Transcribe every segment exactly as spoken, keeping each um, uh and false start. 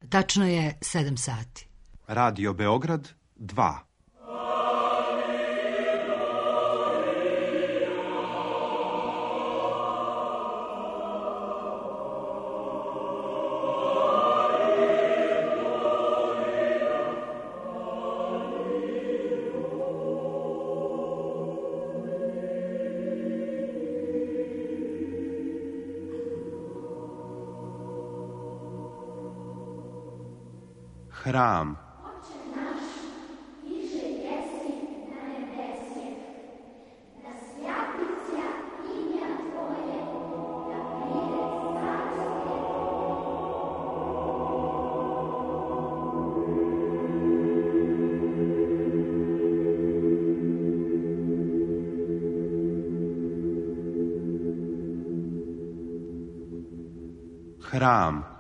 Tačno je sedam sati. Radio Beograd dva. Hram. Hram.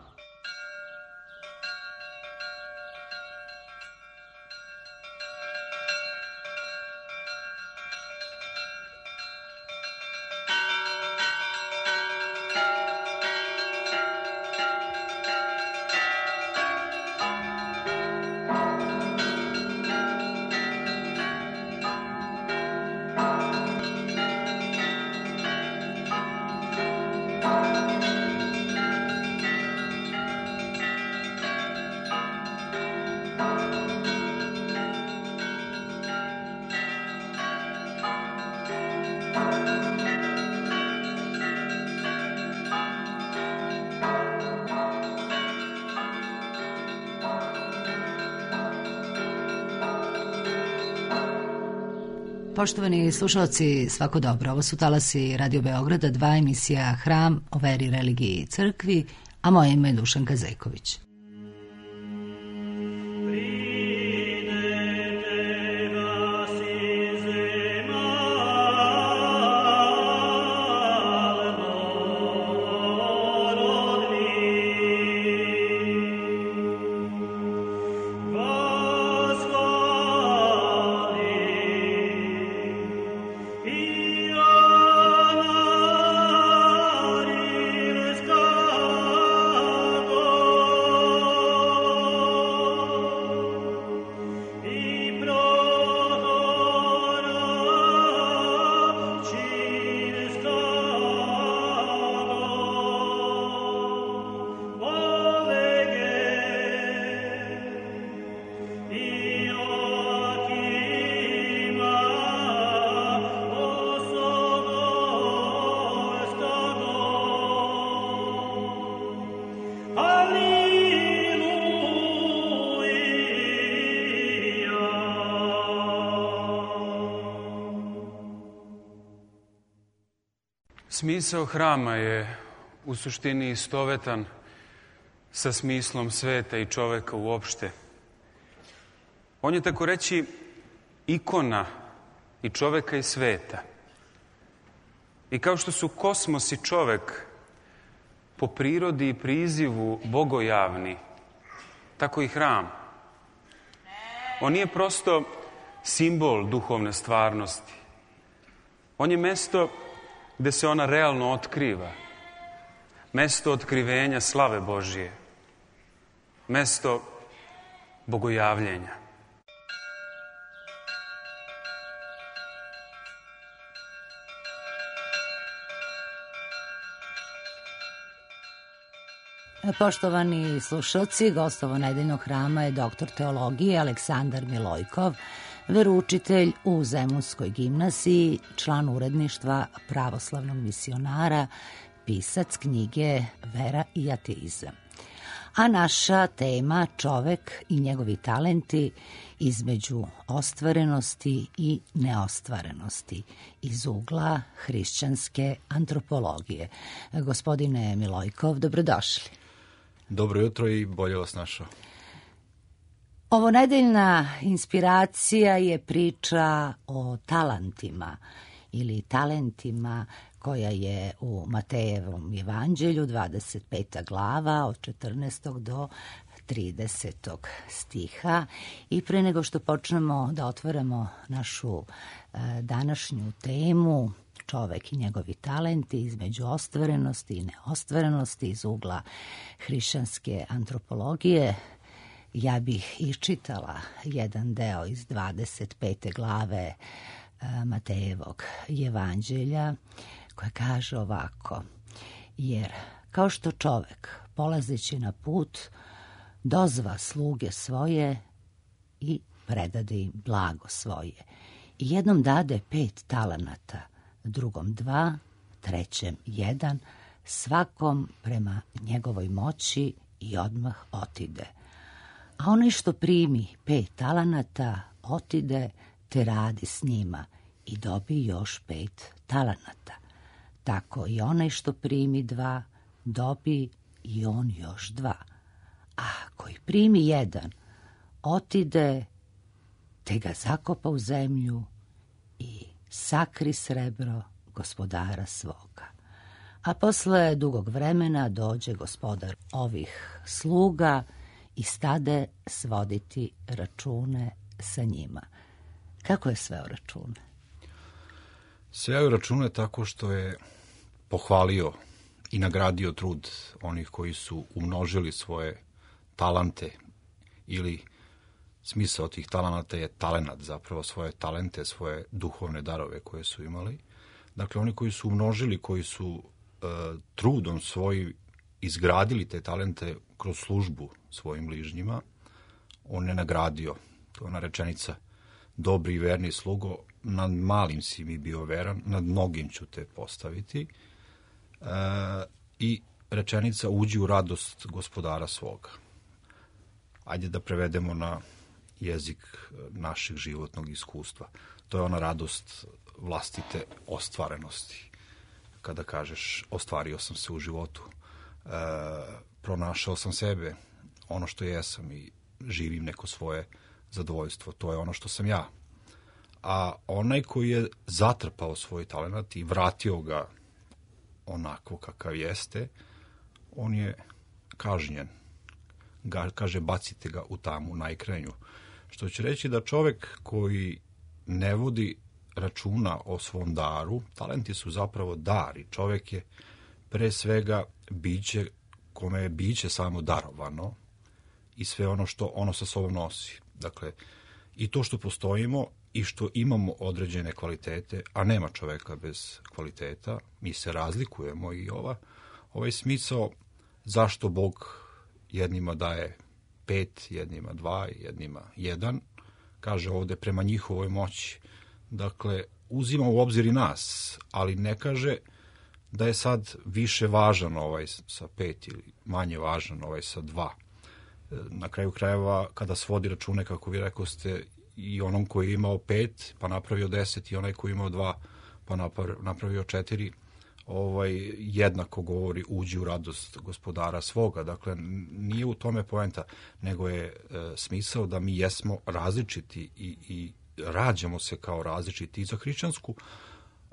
Poštovani slušalci, svako dobro. Ovo su talasi Radio Beograda, dva, emisija Hram o veri, religiji i crkvi, a moje ime je Dušanka Zejković. Smisao hrama je u suštini istovetan sa smislom sveta i čoveka uopšte. On je, tako reći, ikona i čoveka i sveta. I kao što su kosmos i čovek po prirodi i prizivu bogojavni, tako i hram. On nije prosto simbol duhovne stvarnosti. On je mesto gde se ona realno otkriva. Mesto otkrivenja slave Božije. Mesto bogojavljenja. Poštovani slušalci, gost ovo nedeljnog hrama je doktor teologije Aleksandar Milojkov, veroučitelj u Zemunskoj gimnaziji, član uredništva Pravoslavnog misionara, pisac knjige Vera i ateizam. A naša tema čovek i njegovi talenti između ostvarenosti i neostvarenosti iz ugla hrišćanske antropologije. Gospodine Milojkov, dobrodošli. Dobro jutro i bolje vas našao. Ovo nedeljna inspiracija je priča o talentima ili talentima koja je u Matejevom evanđelju, dvadeset peta glava, od četrnaestog do tridesetog stiha. I pre nego što počnemo da otvaramo našu e, današnju temu, čovek i njegovi talenti između ostvarenosti i neostvarenosti iz ugla hrišćanske antropologije, ja bih iščitala jedan deo iz dvadeset pete glave Matejevog evanđelja, koja kaže ovako: jer kao što čovek, polazeći na put, dozva sluge svoje i predade im blago svoje, i jednom dade pet talenata, drugom dva, trećem jedan, svakom prema njegovoj moći, i odmah otide. A onaj što primi pet talenata otide te radi s njima i dobi još pet talenata. Tako i onaj što primi dva dobi i on još dva. A koji primi jedan otide te ga zakopa u zemlju i sakri srebro gospodara svoga. A posle dugog vremena dođe gospodar ovih sluga i stade svoditi račune sa njima. Kako je sveo račune? Sveo račune tako što je pohvalio i nagradio trud onih koji su umnožili svoje talente, ili smisao tih talenata je talenat, zapravo svoje talente, svoje duhovne darove koje su imali. Dakle, oni koji su umnožili, koji su e, trudom svojim izgradili te talente kroz službu svojim bližnjima, on je nagradio. To je ona rečenica: dobri i verni slugo, nad malim si mi bio veran, nad mnogim ću te postaviti. E, I rečenica: uđi u radost gospodara svoga. Ajde da prevedemo na jezik našeg životnog iskustva. To je ona radost vlastite ostvarenosti. Kada kažeš ostvario sam se u životu, e, pronašao sam sebe, ono što jesam, i živim neko svoje zadovoljstvo. To je ono što sam ja. A onaj koji je zatrpao svoj talenat i vratio ga onako kakav jeste, on je kažnjen. Ga, kaže, bacite ga u tamu najkrajnju. Što će reći da čovek koji ne vodi računa o svom daru, talenti su zapravo dar, i čovek je pre svega biće kome je biće samo darovano i sve ono što ono sa sobom nosi. Dakle, i to što postojimo i što imamo određene kvalitete, a nema čoveka bez kvaliteta, mi se razlikujemo, i ova, ovaj smisao zašto Bog jednima daje pet, jednima dva, jednima jedan, kaže ovde prema njihovoj moći. Dakle, uzima u obzir i nas, ali ne kaže da je sad više važan ovaj sa pet ili manje važan ovaj sa dva. Na kraju krajeva, kada svodi račune, kako vi rekoste, i onom koji je imao pet, pa napravio deset, i onaj koji je imao dva, pa napravio četiri, ovaj, jednako govori: uđi u radost gospodara svoga. Dakle, nije u tome poenta, nego je e, smisao da mi jesmo različiti i, i rađamo se kao različiti. I za hrišćansku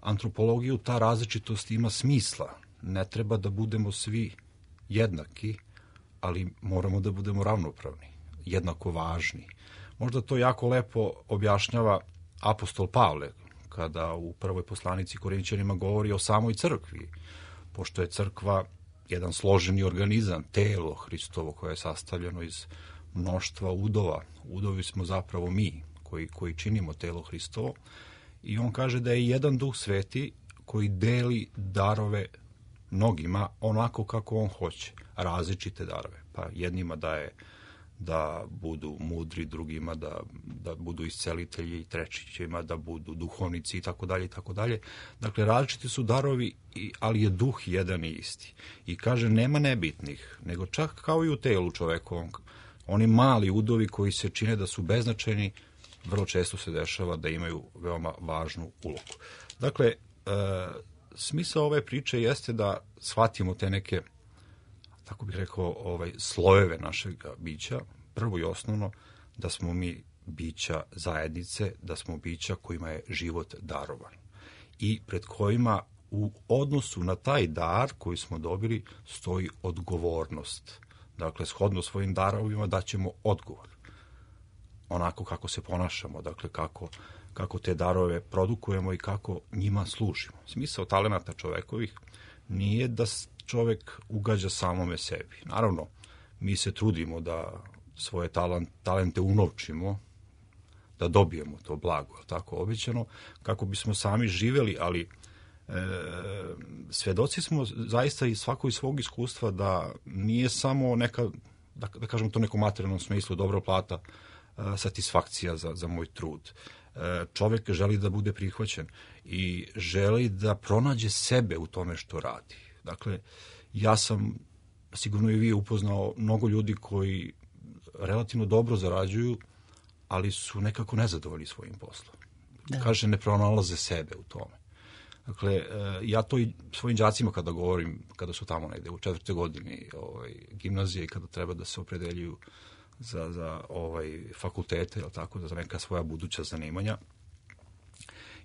antropologiju ta različitost ima smisla. Ne treba da budemo svi jednaki, ali moramo da budemo ravnopravni, jednako važni. Možda to jako lepo objašnjava apostol Pavle, kada u prvoj poslanici Korinćanima govori o samoj crkvi, pošto je crkva jedan složeni organizam, telo Hristovo koje je sastavljeno iz mnoštva udova. Udovi smo zapravo mi koji, koji činimo telo Hristovo, i on kaže da je jedan Duh Sveti koji deli darove mnogima onako kako on hoće, različite darove. Pa jednima daje da budu mudri, drugima da, da budu iscelitelji, i trećima da budu duhovnici, i tako dalje, i tako dalje. Dakle, različiti su darovi, ali je duh jedan i isti. I kaže, nema nebitnih, nego čak kao i u telu čovekovom. Oni mali udovi koji se čine da su beznačajni, vrlo često se dešava da imaju veoma važnu ulogu. Dakle, e, smisao ove priče jeste da shvatimo te neke, tako bih rekao, ovaj, slojeve našeg bića. Prvo i osnovno, da smo mi bića zajednice, da smo bića kojima je život darovan i pred kojima u odnosu na taj dar koji smo dobili stoji odgovornost. Dakle, shodno svojim darovima daćemo odgovor. onako kako se ponašamo, dakle kako, kako te darove produkujemo i kako njima služimo. Smisao talenata čovekovih nije da čovek ugađa samome sebi. Naravno, mi se trudimo da svoje talent, talente unovčimo, da dobijemo to blago, tako obećano, kako bismo sami živeli, ali e, svedoci smo zaista i svako iz svog iskustva da nije samo neka, da, da kažemo to nekom materijalnom smislu, dobra plata, e, satisfakcija za, za moj trud. E, čovek želi da bude prihvaćen i želi da pronađe sebe u tome što radi. Dakle, ja sam, sigurno i vi, upoznao mnogo ljudi koji relativno dobro zarađuju, ali su nekako nezadovoljni svojim poslom. Da. Kaže, ne pronalaze sebe u tome. Dakle, ja to i svojim đacima kada govorim, kada su tamo negde u četvrtoj godini ovaj, gimnazije i kada treba da se opredeljuju za, za ovaj, fakultete, ili tako, za neka svoja buduća zanimanja,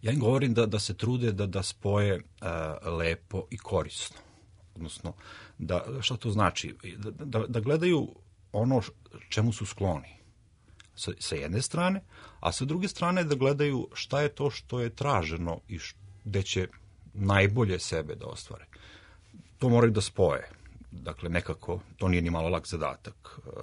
ja im govorim da, da se trude da, da spoje uh, lepo i korisno. Odnosno, da, šta to znači? Da, da, da gledaju ono čemu su skloni sa, sa jedne strane, a sa druge strane da gledaju šta je to što je traženo i š, gde će najbolje sebe da ostvare. To moraju da spoje. Dakle, nekako, to nije ni malo lak zadatak. Uh,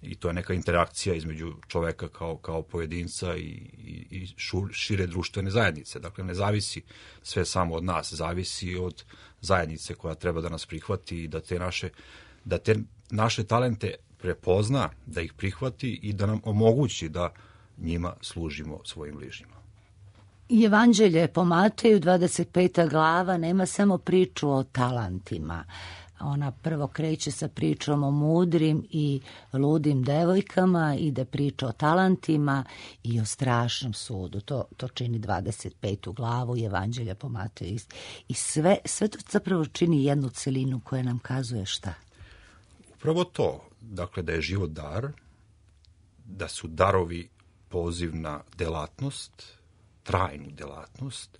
I to je neka interakcija između čoveka kao, kao pojedinca i, i, i šire društvene zajednice. Dakle, ne zavisi sve samo od nas, zavisi od zajednice koja treba da nas prihvati i da te naše, da te naše talente prepozna, da ih prihvati i da nam omogući da njima služimo svojim bližnjima. Evanđelje po Mateju, dvadeset peta glava, nema samo priču o talentima. Ona prvo kreće sa pričom o mudrim i ludim devojkama, ide priča o talentima i o strašnom sudu. To, to čini dvadeset petu glavu Evanđelja po Mateju. I sve, sve to zapravo čini jednu celinu koja nam kazuje šta? Upravo to, dakle da je život dar, da su darovi poziv na delatnost, trajnu delatnost,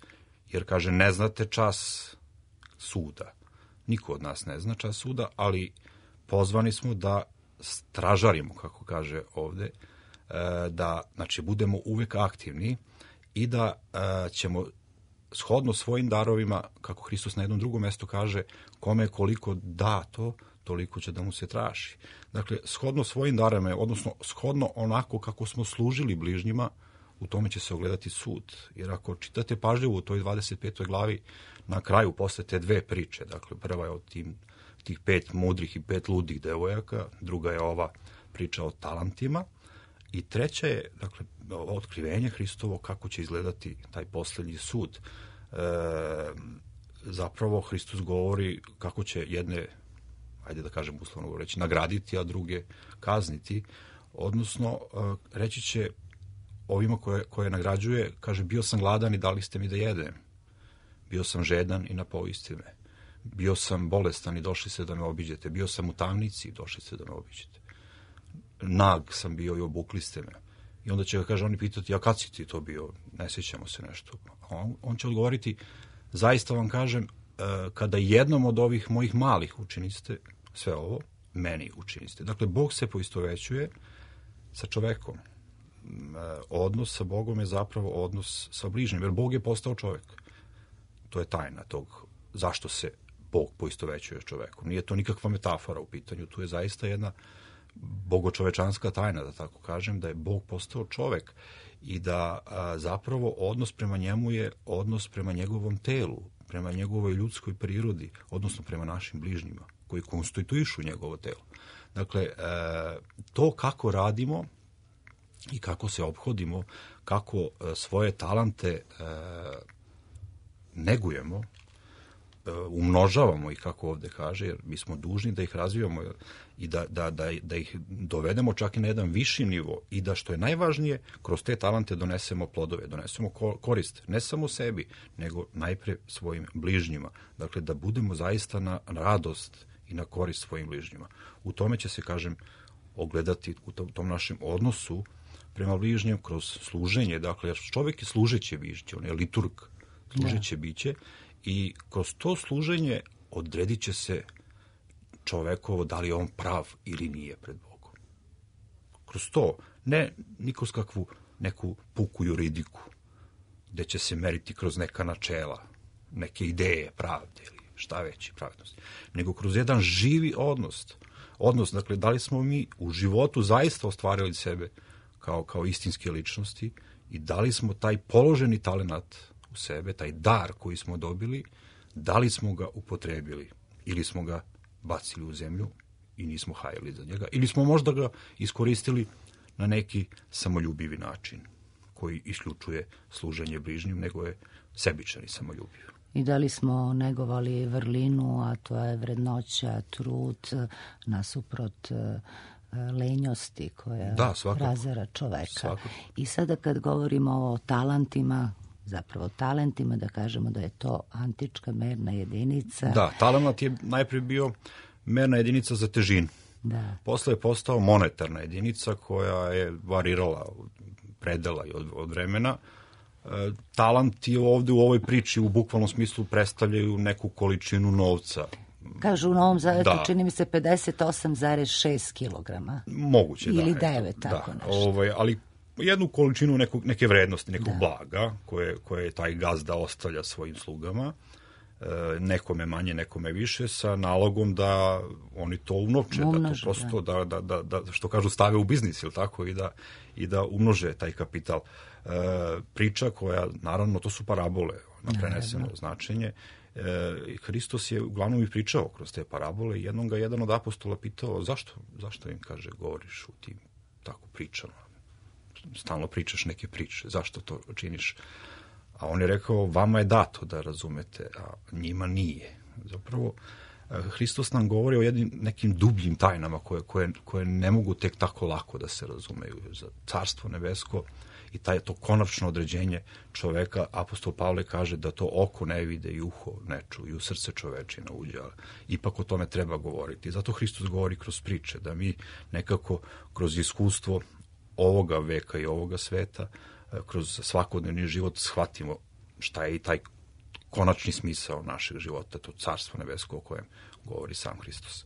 jer kaže ne znate čas suda. Niko od nas ne zna čas suda, ali pozvani smo da stražarimo, kako kaže ovde, da znači, budemo uvek aktivni i da ćemo shodno svojim darovima, kako Hristos na jednom drugom mestu kaže, kome koliko dato, toliko će da mu se traži. Dakle, shodno svojim darovima, odnosno shodno onako kako smo služili bližnjima, u tome će se ogledati sud. Jer ako čitate pažljivo u toj dvadeset petoj glavi, na kraju posle te dve priče, dakle prva je od tim, tih pet mudrih i pet ludih devojaka, druga je ova priča o talentima i treća je, dakle, otkrivenje Hristovo kako će izgledati taj poslednji sud. E, zapravo Hristos govori kako će jedne, ajde da kažem uslovno govoreći, nagraditi, a druge kazniti, odnosno reći će ovima koje, koje nagrađuje, kaže, bio sam gladan i dali ste mi da jedem. Bio sam žedan i napojiste me. Bio sam bolestan i došli ste da me obiđete. Bio sam u tamnici i došli ste da me obiđete. Nag sam bio i obukli ste me. I onda će ga, kaže, oni pitati, a kad si ti to bio? Ne sjećamo se nešto. On, on će odgovoriti, zaista vam kažem, kada jednom od ovih mojih malih učiniste sve ovo, meni učiniste. Dakle, Bog se poistovećuje sa čovekom. Odnos sa Bogom je zapravo odnos sa bližnjim, jer Bog je postao čovek. To je tajna tog zašto se Bog poistovećuje s čovekom. Nije to nikakva metafora u pitanju, tu je zaista jedna bogočovečanska tajna, da tako kažem, da je Bog postao čovek i da a, zapravo odnos prema njemu je odnos prema njegovom telu, prema njegovoj ljudskoj prirodi, odnosno prema našim bližnjima, koji konstituišu njegovo telo. Dakle, a, to kako radimo i kako se ophodimo, kako svoje talente a, negujemo, umnožavamo ih, kako ovde kaže, jer mi smo dužni da ih razvijamo i da, da, da, da ih dovedemo čak i na jedan viši nivo i da, što je najvažnije, kroz te talente donesemo plodove, donesemo korist, ne samo sebi, nego najpre svojim bližnjima. Dakle, da budemo zaista na radost i na korist svojim bližnjima. U tome će se, kažem, ogledati u tom, tom našem odnosu prema bližnjem kroz služenje. Dakle, jer čovjek je služeće biće, on je liturg, služeće biće i kroz to služenje odredit će se čovekovo da li je on prav ili nije pred Bogom. Kroz to, Ne ni kroz kakvu neku puku juridiku, gde će se meriti kroz neka načela, neke ideje pravde ili šta već i pravednosti, nego kroz jedan živi odnos. Odnos, dakle, da li smo mi u životu zaista ostvarili sebe kao, kao istinske ličnosti i da li smo taj položeni talenat u sebe, taj dar koji smo dobili, da li smo ga upotrebili ili smo ga bacili u zemlju i nismo hajali za njega, ili smo možda ga iskoristili na neki samoljubivi način koji isključuje služenje bližnjim, nego je sebičan i samoljubiv. I da li smo negovali vrlinu, a to je vrednoća, trud, nasuprot lenjosti koja da, razara čoveka. Svakako. I sada kad govorimo o talentima, zapravo talentima, da kažemo da je to antička merna jedinica. Da, talenat je najprije bio merna jedinica za težinu. Da. Posle je postao monetarna jedinica koja je varirala od predela i od, od vremena. E, talent je ovde u ovoj priči u bukvalnom smislu predstavljaju neku količinu novca. Kažu u Novom Zavetu, da. čini mi se pedeset osam zarez šest kilograma. Moguće, da. Ili devet, tako da, nešto. Ovaj, ali jednu količinu nekog, neke vrednosti, nekog da. blaga koje, koje taj gazda ostavlja svojim slugama, e, nekome manje, nekome više, sa nalogom da oni to umnoče, umnože, da to prosto, da. Da, da, da, što kažu, stave u biznis, ili tako, i da, i da umnože taj kapital. E, priča koja, naravno, to su parabole, na preneseno da, značenje. E, Hristos je uglavnom i pričao kroz te parabole i jednom ga jedan od apostola pitao zašto, zašto im, kaže, govoriš u tim tako pričama. Stalno pričaš neke priče, zašto to činiš? A on je rekao, vama je dato da razumete, a njima nije. Zapravo, Hristos nam govori o jednim nekim dubljim tajnama koje, koje, koje ne mogu tek tako lako da se razumeju. Za carstvo nebesko i taj, to konačno određenje čoveka, apostol Pavle kaže da to oko ne vide i uho ne čuje i u srce čovečina uđe, ali ipak o tome treba govoriti. Zato Hristos govori kroz priče, da mi nekako kroz iskustvo ovoga veka i ovoga sveta, kroz svakodnevni život shvatimo šta je i taj konačni smisao našeg života, to carstvo nebesko o kojem govori sam Hristos.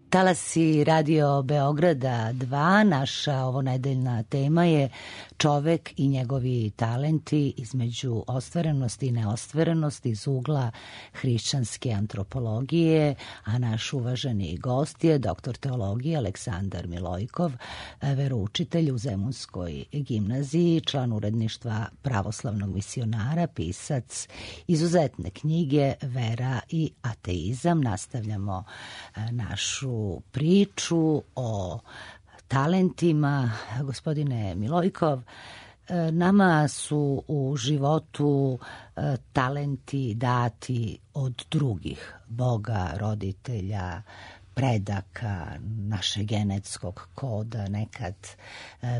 Talasi Radio Beograda dva, naša ovonedeljna tema je čovek i njegovi talenti između ostvarenosti i neostvarenosti iz ugla hrišćanske antropologije, a naš uvaženi gost je doktor teologije Aleksandar Milojkov, veroučitelj u Zemunskoj gimnaziji, član uredništva Pravoslavnog misionara, pisac izuzetne knjige Vera i ateizam. Nastavljamo našu priču o talentima. Gospodine Milojkov, Nama su u životu talenti dati od drugih, Boga, roditelja, predaka, naše genetskog koda, nekad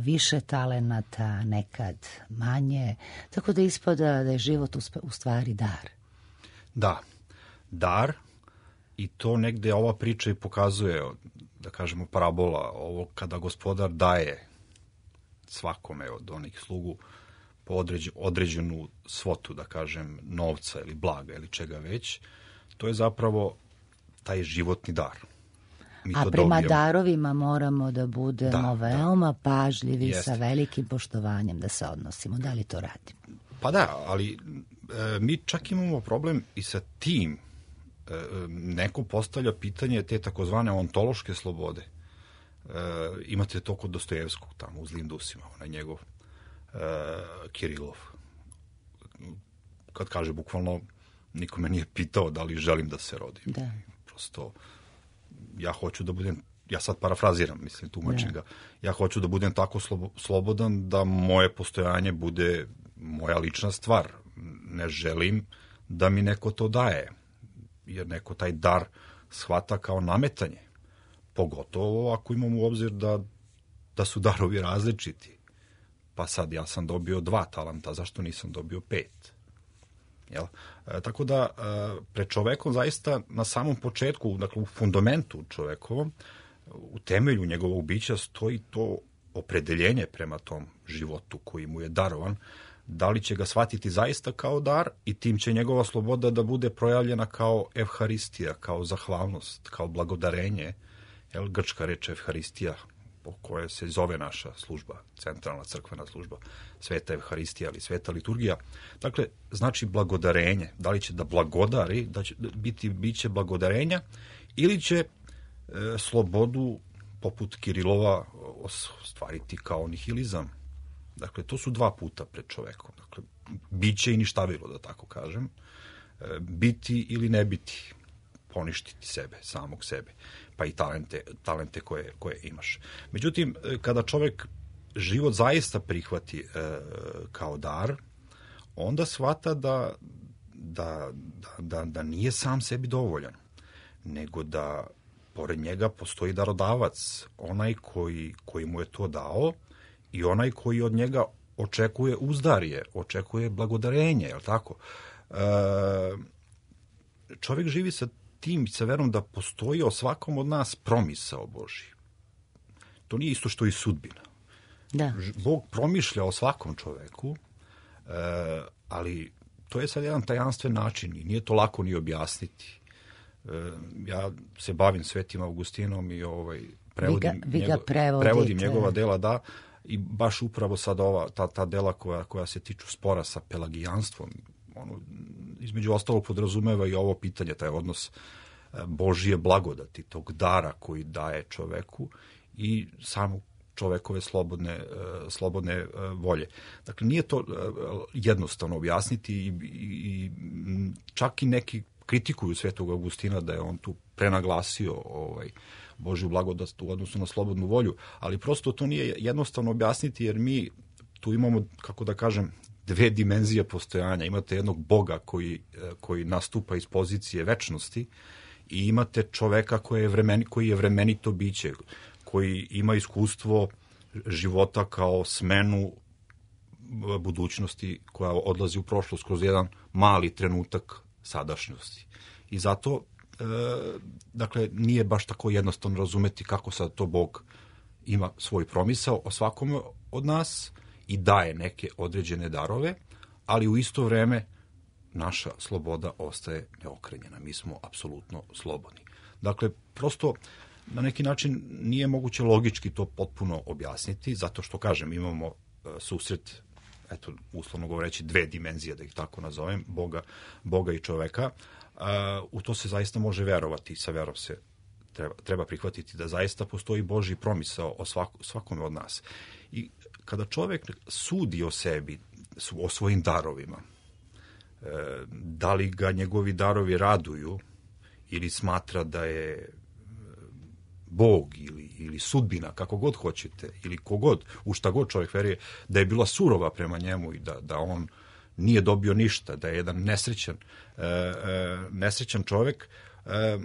više talenata, nekad manje, tako da ispada da je život u stvari dar. Da, dar, i to negde ova priča i pokazuje, da kažemo parabola, ovo kada gospodar daje svakome od onih slugu po određenu, određenu svotu, da kažem, novca ili blaga ili čega već, to je zapravo taj životni dar. Mi A prema dobijemo. Darovima moramo da budemo da, veoma da. pažljivi, Jeste. sa velikim poštovanjem da se odnosimo. Da li to radimo? Pa da, ali e, mi čak imamo problem i sa tim. E, neko postavlja pitanje te takozvane ontološke slobode. E, imate to kod Dostojevskog tamo u Zlim dusima, onaj njegov e, Kirilov. Kad kaže bukvalno, niko me nije pitao da li želim da se rodim. Da. Prosto, ja hoću da budem, ja sad parafraziram, mislim, tumačim ga, ja hoću da budem tako slobodan da moje postojanje bude moja lična stvar. Ne želim da mi neko to daje, jer neko taj dar shvata kao nametanje. Pogotovo ako imamo u obzir da, da su darovi različiti. Pa sad ja sam dobio dva talenta, zašto nisam dobio pet? Jel? E, tako da e, pred čovekom zaista na samom početku, dakle u fundamentu čovekovom, u temelju njegovog bića stoji to opredeljenje prema tom životu koji mu je darovan, da li će ga shvatiti zaista kao dar i tim će njegova sloboda da bude projavljena kao evharistija, kao zahvalnost, kao blagodarenje. Jel, grčka reč evharistija, po kojoj se zove naša služba, centralna crkvena služba, sveta evharistija ili sveta liturgija. Dakle, znači blagodarenje. Da li će da blagodari, da će biti biće blagodarenja, ili će e, slobodu, poput Kirilova, ostvariti kao nihilizam. Dakle, to su dva puta pred čovekom. Dakle, biće i ništavilo, da tako kažem. E, biti ili ne biti, poništiti sebe, samog sebe, pa i talente, talente koje, koje imaš. Međutim, kada čovek život zaista prihvati e, kao dar, onda shvata da, da, da, da nije sam sebi dovoljan, nego da pored njega postoji darodavac, onaj koji, koji mu je to dao i onaj koji od njega očekuje uzdarje, očekuje blagodarenje, je li tako? E, čovjek živi sa tim, sa verom da postoji o svakom od nas promisao Božji. To nije isto što i sudbina. Da. Bog promišlja o svakom čoveku, e, ali to je sad jedan tajanstven način i nije to lako ni objasniti. E, ja se bavim Svetim Augustinom i ovaj, prevodim, vi ga, vi ga njegov, prevodim njegova dela, da, i baš upravo sad ova, ta, ta dela koja, koja se tiču spora sa pelagijanstvom, ono, između ostalog podrazumeva i ovo pitanje, taj odnos Božije blagodati, tog dara koji daje čoveku i samo čovekove slobodne, slobodne volje. Dakle, nije to jednostavno objasniti i, i čak i neki kritikuju Svetog Augustina da je on tu prenaglasio ovaj, Božju blagodat u odnosu na slobodnu volju, ali prosto to nije jednostavno objasniti jer mi tu imamo, kako da kažem, dve dimenzije postojanja. Imate jednog Boga koji, koji nastupa iz pozicije večnosti i imate čoveka koji je, vremen, koji je vremenito biće, koji ima iskustvo života kao smenu budućnosti koja odlazi u prošlost kroz jedan mali trenutak sadašnjosti. I zato, e, dakle, nije baš tako jednostavno razumeti kako sad to Bog ima svoj promisao o svakome od nas i daje neke određene darove, ali u isto vreme naša sloboda ostaje neokrenjena. Mi smo apsolutno slobodni. Dakle, prosto na neki način nije moguće logički to potpuno objasniti, zato što, kažem, imamo susret, eto, uslovno govoreći, dve dimenzije, da ih tako nazovem, Boga, Boga i čoveka. U to se zaista može verovati i sa verom se treba, treba prihvatiti da zaista postoji Božji promisao o svakom, svakome od nas. I kada čovek sudi o sebi, o svojim darovima, da li ga njegovi darovi raduju ili smatra da je Bog ili, ili sudbina, kako god hoćete, ili kogod, u šta god čovjek veruje, da je bila surova prema njemu i da, da on nije dobio ništa, da je jedan nesrećan, e, e, nesrećan čovjek, e,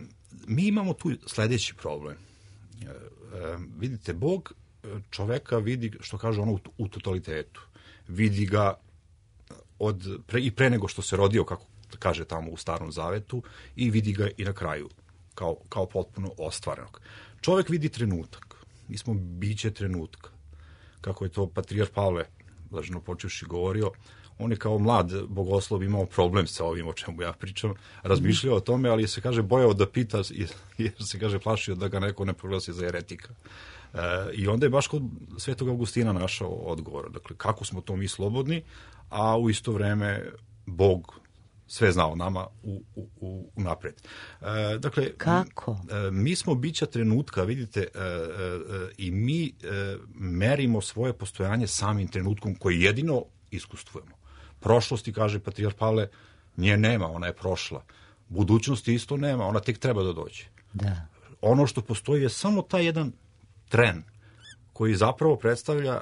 mi imamo tu sledeći problem. E, e, vidite, Bog čoveka vidi, što kaže ono, u totalitetu. Vidi ga od, pre, i pre nego što se rodio, kako kaže tamo u Starom Zavetu, i vidi ga i na kraju, kao, kao potpuno ostvarenog. Čovek vidi trenutak. Mi smo biće trenutka. Kako je to patrijarh Pavle, blaženo počevši, govorio, on je kao mlad bogoslov imao problem sa ovim o čemu ja pričam, razmišljao o tome, ali se kaže bojao da pita, jer se kaže plašio da ga neko ne proglasi za eretika. E, I onda je baš kod Svetog Augustina našao odgovor. Dakle, kako smo to mi slobodni, a u isto vreme Bog sve zna o nama u, u, u, u napred. E, dakle, kako? E, mi smo bića trenutka, vidite, e, e, i mi e, merimo svoje postojanje samim trenutkom koji jedino iskustvujemo. Prošlosti, kaže patrijarh Pavle, nje nema, ona je prošla. Budućnosti isto nema, ona tek treba da dođe. Da. Ono što postoji je samo taj jedan tren koji zapravo predstavlja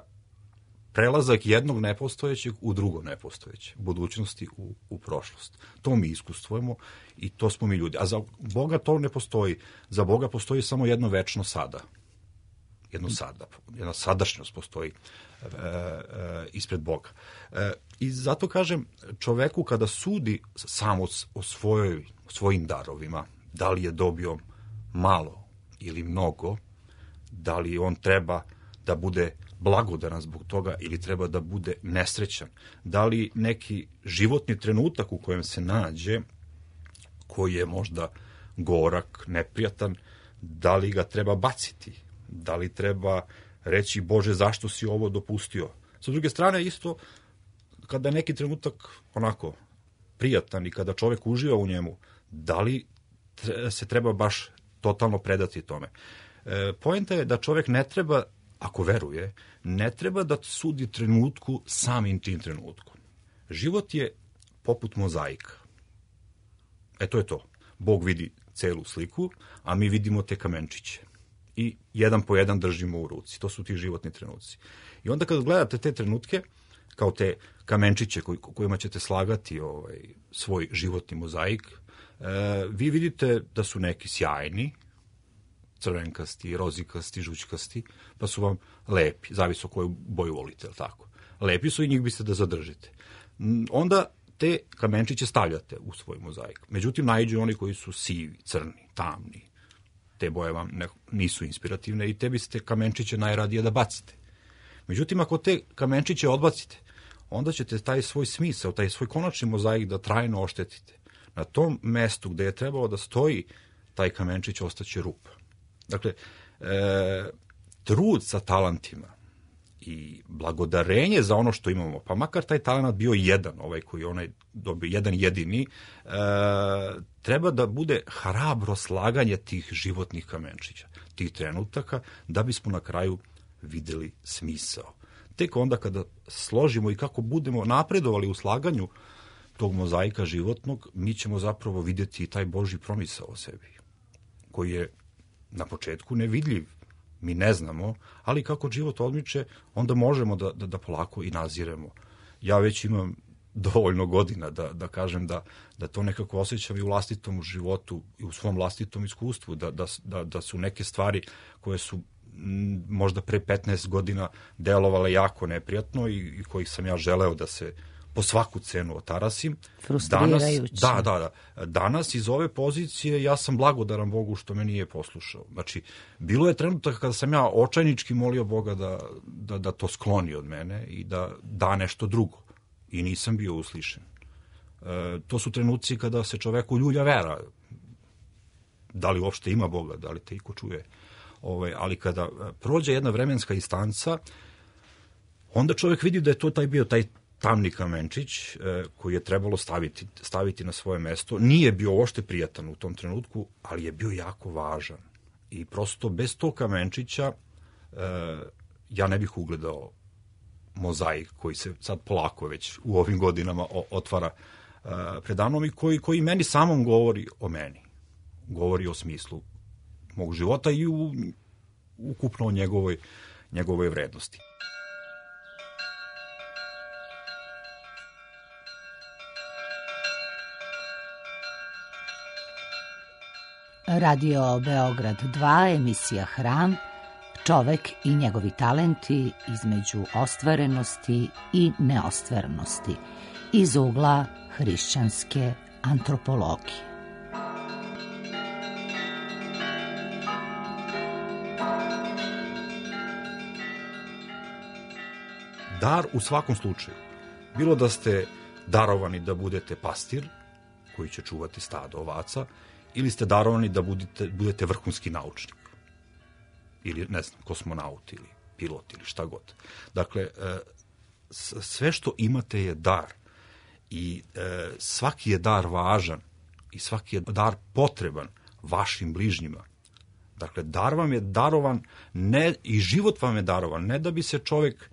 prelazak jednog nepostojećeg u drugo nepostojeće, budućnosti u, u prošlost. To mi iskustvujemo i to smo mi ljudi. A za Boga to ne postoji. Za Boga postoji samo jedno večno sada. Jedno sada. Jedna sadašnjost postoji e, e, ispred Boga. E, I zato kažem, čoveku kada sudi samo o, svojoj, o svojim darovima, da li je dobio malo ili mnogo, da li on treba da bude blagodaran zbog toga ili treba da bude nesrećan, da li neki životni trenutak u kojem se nađe, koji je možda gorak, neprijatan, da li ga treba baciti, da li treba reći Bože zašto si ovo dopustio. Sa druge strane isto, kada je neki trenutak onako prijatan i kada čovjek uživa u njemu, da li se treba baš totalno predati tome. E, poenta je da čovjek ne treba, ako veruje, ne treba da sudi trenutku samim tim trenutkom. Život je poput mozaika. E to je to. Bog vidi celu sliku, a mi vidimo te kamenčiće. I jedan po jedan držimo u ruci. To su ti životni trenuci. I onda kad gledate te trenutke, kao te kamenčiće koj, kojima ćete slagati ovaj, svoj životni mozaik, e, vi vidite da su neki sjajni, crvenkasti, rozikasti, žućkasti, pa su vam lepi, zavisno koju boju volite, ali tako. Lepi su i njih biste da zadržite. Onda te kamenčiće stavljate u svoj mozaik. Međutim, naiđu oni koji su sivi, crni, tamni. Te boje vam ne, nisu inspirativne i te biste kamenčiće najradije da bacite. Međutim, ako te kamenčiće odbacite, onda ćete taj svoj smisao, taj svoj konačni mozaik da trajno oštetite. Na tom mestu gde je trebalo da stoji taj kamenčić ostaće rupa. Dakle, e, trud sa talentima i blagodarenje za ono što imamo, pa makar taj talent bio jedan, ovaj koji onaj dobio, jedan jedini, e, treba da bude hrabro slaganje tih životnih kamenčića, tih trenutaka, da bismo na kraju videli smisao. Tek onda kada složimo i kako budemo napredovali u slaganju tog mozaika životnog, mi ćemo zapravo vidjeti taj Božji promisao o sebi, koji je na početku nevidljiv, mi ne znamo, ali kako život odmiče, onda možemo da, da, da polako i naziremo. Ja već imam dovoljno godina da, da kažem da, da to nekako osjećam i u vlastitom životu i u svom vlastitom iskustvu, da, da, da, da su neke stvari koje su m, možda pre petnaest godina delovale jako neprijatno i, i kojih sam ja želeo da se po svaku cenu otarasim. Frustrirajuće. Danas, da, da, da. Danas iz ove pozicije ja sam blagodaran Bogu što me nije poslušao. Znači, bilo je trenutak kada sam ja očajnički molio Boga da, da, da to skloni od mene i da da nešto drugo. I nisam bio uslišen. E, to su trenuci kada se čoveku ljulja vera. Da li uopšte ima Boga, da li te iko čuje. Ove, ali kada prođe jedna vremenska instanca, onda čovek vidi da je to taj bio taj tamni kamenčić e, koji je trebalo staviti, staviti na svoje mesto. Nije bio uopšte prijatan u tom trenutku, ali je bio jako važan. I prosto bez tog kamenčića e, ja ne bih ugledao mozaik koji se sad polako već u ovim godinama o, otvara e, predanom i koji, koji meni samom govori o meni. Govori o smislu mog života i u ukupno o njegovoj, njegovoj vrednosti. Radio Beograd dva, emisija Hram, čovek i njegovi talenti između ostvarenosti i neostvarenosti, iz ugla hrišćanske antropologije. Dar u svakom slučaju, bilo da ste darovani da budete pastir, koji će čuvati stado ovaca, ili ste darovani da budete, budete vrhunski naučnik, ili, ne znam, kosmonaut, ili pilot, ili šta god. Dakle, sve što imate je dar i svaki je dar važan i svaki je dar potreban vašim bližnjima. Dakle, dar vam je darovan ne, i život vam je darovan, ne da bi se čovjek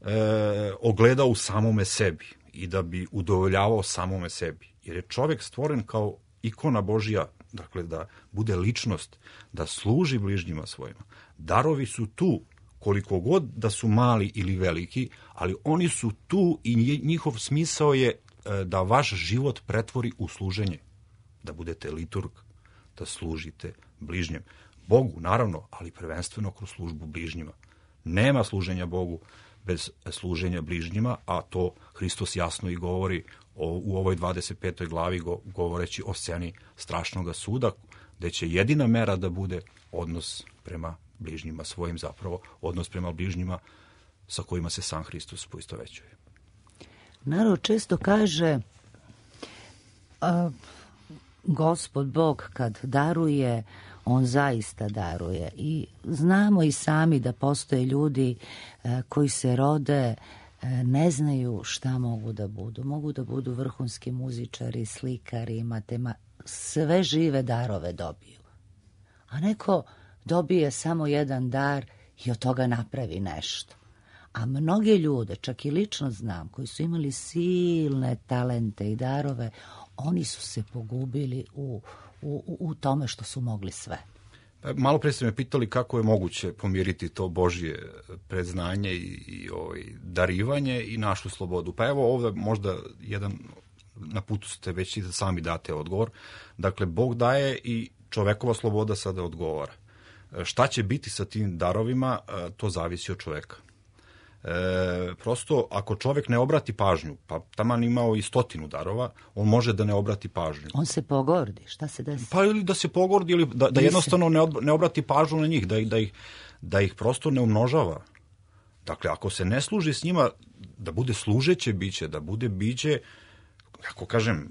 e, ogledao u samome sebi i da bi udovoljavao samome sebi. Jer je čovjek stvoren kao ikona Božja, dakle da bude ličnost, da služi bližnjima svojima. Darovi su tu, koliko god da su mali ili veliki, ali oni su tu i njihov smisao je da vaš život pretvori u služenje, da budete liturg, da služite bližnjem. Bogu, naravno, ali prvenstveno kroz službu bližnjima. Nema služenja Bogu bez služenja bližnjima, a to Hristos jasno i govori o, u ovoj dvadeset petoj glavi go, govoreći o sceni strašnog suda, gde će jedina mera da bude odnos prema bližnjima svojim, zapravo odnos prema bližnjima sa kojima se sam Hristos poistovećuje. Narod često kaže a, Gospod Bog kad daruje, on zaista daruje. I znamo i sami da postoje ljudi a, koji se rode, a, ne znaju šta mogu da budu. Mogu da budu vrhunski muzičari, slikari, matema, sve žive darove dobiju. A neko dobije samo jedan dar i od toga napravi nešto. A mnoge ljude, čak i lično znam, koji su imali silne talente i darove, oni su se pogubili u, u, u tome što su mogli sve. Malo pre ste me pitali kako je moguće pomiriti to Božje predznanje i, i ovaj, darivanje i našu slobodu. Pa evo ovdje možda jedan, na putu ste već i da sami date odgovor. Dakle, Bog daje i čovekova sloboda sada odgovara. Šta će biti sa tim darovima, to zavisi od čoveka. E, prosto, ako čovjek ne obrati pažnju, pa taman imao i stotinu darova, on može da ne obrati pažnju. On se pogordi, šta se desi? Pa ili da se pogordi, ili da, da jednostavno ne, od, ne obrati pažnju na njih, da, da, ih, da ih prosto ne umnožava. Dakle, ako se ne služi s njima, da bude služeće biće, da bude biće, kako kažem,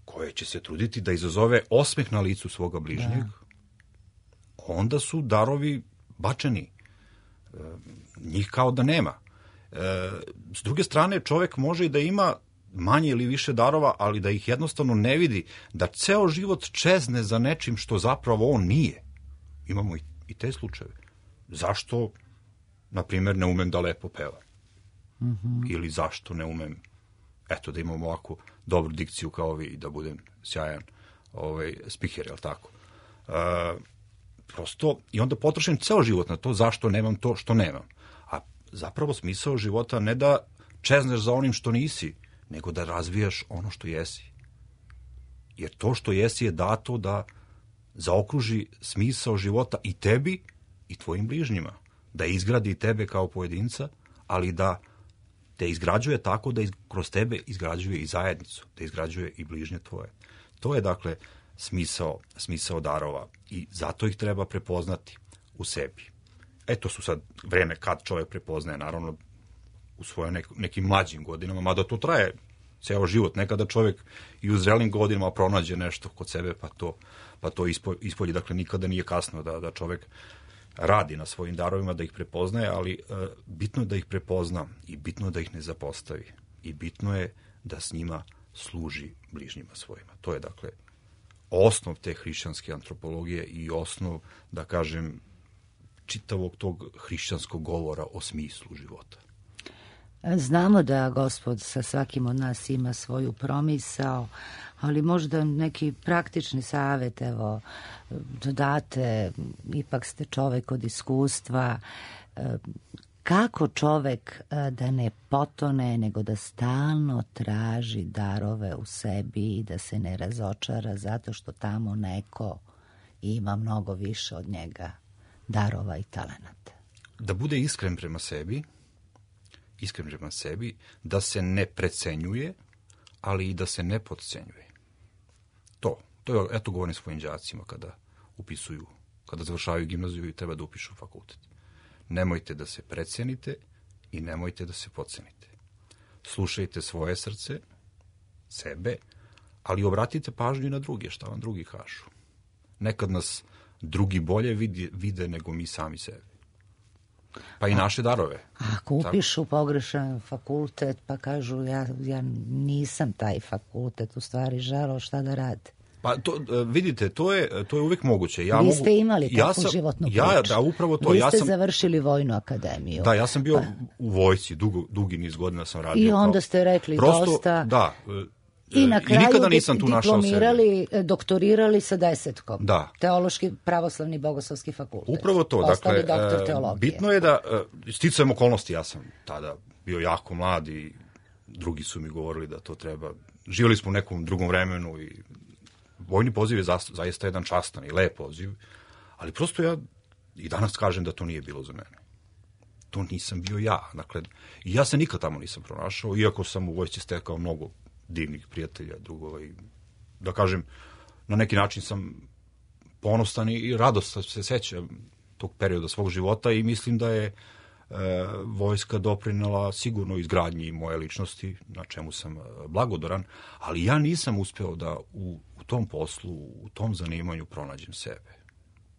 koje će se truditi da izazove osmeh na licu svoga bližnjeg, da. Onda su darovi bačeni. E, njih kao da nema. E, s druge strane, čovjek može i da ima manje ili više darova, ali da ih jednostavno ne vidi, da ceo život čezne za nečim što zapravo on nije. Imamo i, i te slučajeve. Zašto, na primjer, ne umem da lepo pevam? Mm-hmm. Ili zašto ne umem, eto, da imam ovako dobru dikciju kao vi i da budem sjajan ovaj, spiker, jel tako? E, prosto, i onda potrošim ceo život na to zašto nemam to što nemam. A zapravo smisao života ne da čezneš za onim što nisi, nego da razvijaš ono što jesi. Jer to što jesi je dato da zaokruži smisao života i tebi i tvojim bližnjima. Da izgradi tebe kao pojedinca, ali da te izgrađuje tako da iz, kroz tebe izgrađuje i zajednicu, da izgrađuje i bližnje tvoje. To je dakle smisao, smisao darova i zato ih treba prepoznati u sebi. Eto su sad vreme kad čovjek prepoznaje, naravno u svojim nek, nekim mlađim godinama, mada to traje ceo život. Nekada čovjek i u zrelim godinama pronađe nešto kod sebe, pa to, pa to ispolji. Dakle, nikada nije kasno da, da čovjek radi na svojim darovima, da ih prepoznaje, ali e, bitno je da ih prepozna i bitno je da ih ne zapostavi. I bitno je da s njima služi bližnjima svojima. To je, dakle, osnov te hrišćanske antropologije i osnov, da kažem, čitavog tog hrišćanskog govora o smislu života. Znamo da Gospod sa svakim od nas ima svoju promisao, ali možda neki praktični savjet, evo, dodate, ipak ste čovek od iskustva, kako čovek da ne potone, nego da stalno traži darove u sebi i da se ne razočara zato što tamo neko ima mnogo više od njega darova i talenata. Da bude iskren prema sebi, iskren prema sebi, da se ne precenjuje, ali i da se ne podcenjuje. To, to je, eto govorim svojim đacima kada upisuju, kada završavaju gimnaziju i treba da upišu fakultet. Nemojte da se precenite i nemojte da se podcenite. Slušajte svoje srce, sebe, ali obratite pažnju i na druge, šta vam drugi kažu. Nekad nas drugi bolje vide, vide nego mi sami sebe. Pa i naše darove. Ako upišu pogrešan fakultet, pa kažu ja, ja nisam taj fakultet u stvari želeo, šta da rade? Pa to, vidite, to je, to je uvijek moguće. Ja Vi mogu, ste imali ja takvu sam, životnu priču. Ja, da, upravo to. Vi ja ste sam, završili vojnu akademiju. Da, ja sam bio pa. u vojsci, dugo, dugi niz godina sam radio. I onda kao, ste rekli prosto, dosta. Da, I na kraju i nikada nisam tu našao diplomirali, doktorirali sa desetkom. Da. Teološki pravoslavni bogoslovski fakultet. Upravo to. Ostali Dakle, doktor teologije. Bitno je da, sticajem okolnosti, ja sam tada bio jako mlad i drugi su mi govorili da to treba. Živjeli smo u nekom drugom vremenu i vojni poziv je zaista jedan častan i lep poziv, ali prosto ja i danas kažem da to nije bilo za mene. To nisam bio ja. Dakle, i ja se nikad tamo nisam pronašao, iako sam u vojsci stekao mnogo divnih prijatelja, drugova i, da kažem, na neki način sam ponosan i radost se sećam tog perioda svog života i mislim da je e, vojska doprinela sigurno izgradnji moje ličnosti, na čemu sam blagodoran, ali ja nisam uspeo da u, u tom poslu, u tom zanimanju pronađem sebe.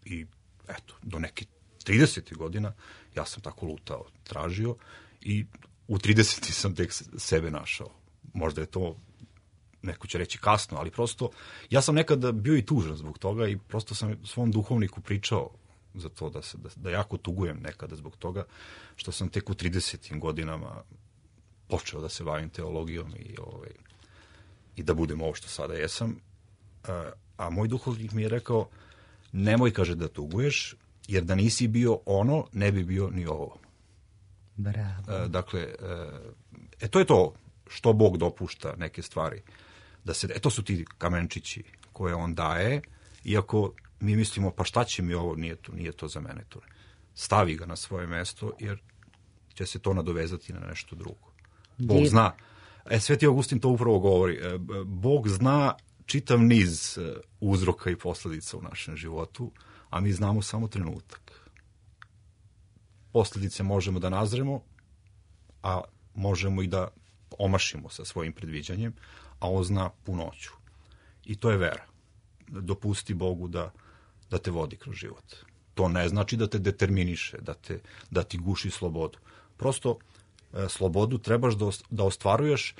I eto, do nekih tridesetih godina ja sam tako lutao, tražio i u tridesetih sam tek sebe našao. Možda je to, neko će reći kasno, ali prosto, ja sam nekada bio i tužan zbog toga i prosto sam svom duhovniku pričao za to da, se, da, da jako tugujem nekada zbog toga, što sam tek u tridesetim godinama počeo da se bavim teologijom i, ovaj, i da budem ovo što sada jesam. A, a moj duhovnik mi je rekao, nemoj, kaže, da tuguješ, jer da nisi bio ono, ne bi bio ni ovo. Bravo. A, dakle, e, to je to što Bog dopušta neke stvari. Da se, e, to su ti kamenčići koje on daje, iako mi mislimo, pa šta će mi ovo, nije to, nije to za mene. To. Stavi ga na svoje mesto, jer će se to nadovezati na nešto drugo. Bog Div. zna. E, Sveti Augustin to upravo govori. E, Bog zna čitav niz uzroka i posledica u našem životu, a mi znamo samo trenutak. Posledice možemo da nazremo, a možemo i da omašimo sa svojim predviđanjem, a on zna punoću. I to je vera. Dopusti Bogu da, da te vodi kroz život. To ne znači da te determiniše, da, te, da ti guši slobodu. Prosto e, slobodu trebaš da, da ostvaruješ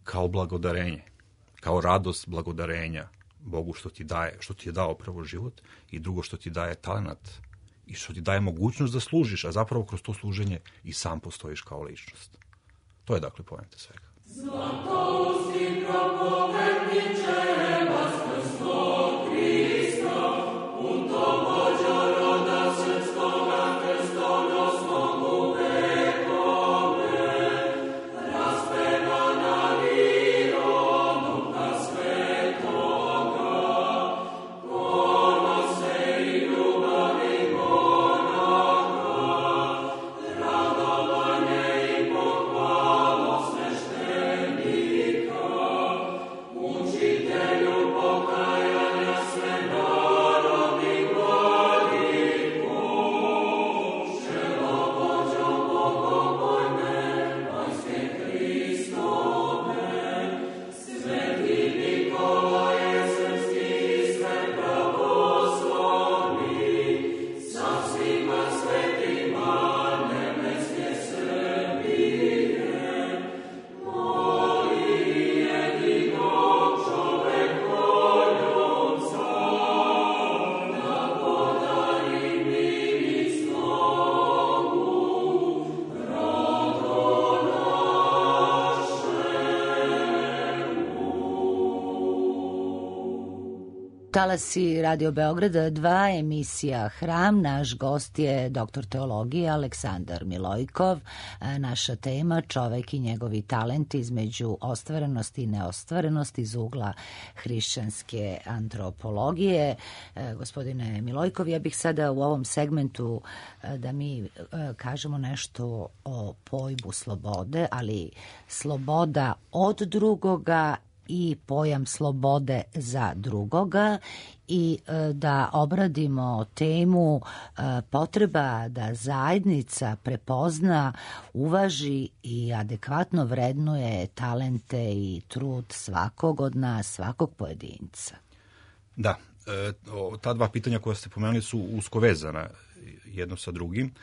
kao blagodarenje, kao radost blagodarenja Bogu što ti daje, što ti je dao prvo život i drugo što ti daje talenat i što ti daje mogućnost da služiš, a zapravo kroz to služenje i sam postojiš kao ličnost. To je dakle poenta svega. Zlatousti propovedniče, Vaskrstvo Krista, unto vođa roda srpskoga krstonosnog vekome, raspevana liroduka svetoga, ponose i ljubavi monaha, radovanje i pohvala sveštenika. talasi Radio Beograda dva, emisija Hram. Naš gost je doktor teologije Aleksandar Milojkov. Naša tema čovek i njegovi talenti između ostvarenosti i neostvarenosti iz ugla hrišćanske antropologije. Gospodine Milojkov, ja bih sada u ovom segmentu da mi kažemo nešto o pojmu slobode, ali sloboda od drugoga i pojam slobode za drugoga i da obradimo temu potreba da zajednica prepozna, uvaži i adekvatno vrednuje talente i trud svakog od nas, svakog pojedinca. Da, ta dva pitanja koja ste pomenuli su usko vezana jedno sa drugim.